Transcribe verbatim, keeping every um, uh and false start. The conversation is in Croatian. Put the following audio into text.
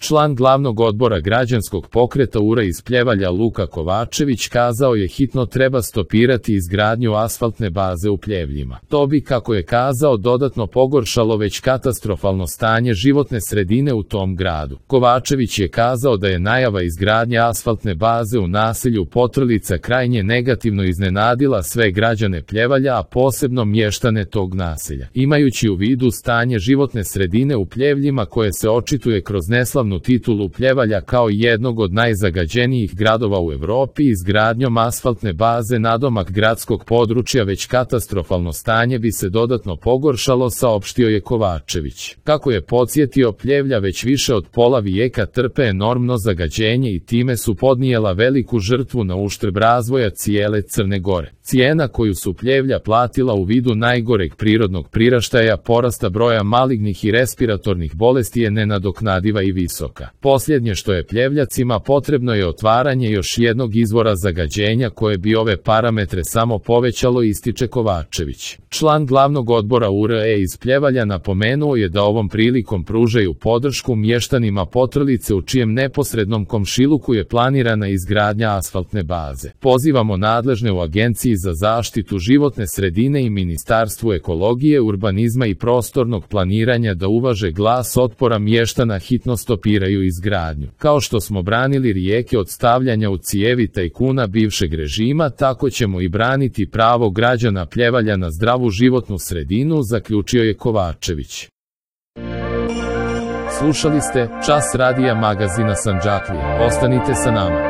Član glavnog odbora građanskog pokreta U R A iz Pljevalja Luka Kovačević kazao je hitno treba stopirati izgradnju asfaltne baze u Pljevljima. To bi, kako je kazao, dodatno pogoršalo već katastrofalno stanje životne sredine u tom gradu. Kovačević je kazao da je najava izgradnje asfaltne baze u naselju Potrlica krajnje negativno iznenadila sve građane Pljevalja, a posebno mještane tog naselja. Imajući u vidu stanje životne sredine u Pljevljima koje se očituje kroz neslavnu titulu Pljevalja kao jednog od najzagađenijih gradova u Europi, izgradnjom asfaltne baze nadomak gradskog područja već katastrofalno stanje bi se dodatno pogoršalo, saopštio je Kovačević. Kako je podsjetio, Pljevlja već više od pola vijeka trpe enormno zagađenje i time su podnijela veliku žrtvu na uštrb razvoja cijele Crne Gore. Cijena koju su Pljevlja platila u vidu najgoreg prirodnog priraštaja, porasta broja malignih i respiratornih bolesti je nenadoknadiva i visoka. Posljednje što je Pljevljacima potrebno je otvaranje još jednog izvora zagađenja koje bi ove parametre samo povećalo, ističe Kovačević. Član glavnog odbora U R A iz Pljevalja napomenuo je da ovom prilikom pružaju podršku mještanima Potrlice u čijem neposrednom komšiluku je planirana izgradnja asfaltne baze. Pozivamo nadležne u Agenciji za zaštitu životne sredine i Ministarstvu ekologije, urbanizma i prostornog planiranja da uvaže glas otpora mještana, hitno stopiraju izgradnju. Kao što smo branili rijeke od stavljanja u cijevi tajkuna bivšeg režima, tako ćemo i braniti pravo građana Pljevalja na zdravu životnu sredinu, zaključio je Kovačević. Slušali ste Čas radija magazina Sandžaklija. Ostanite sa nama.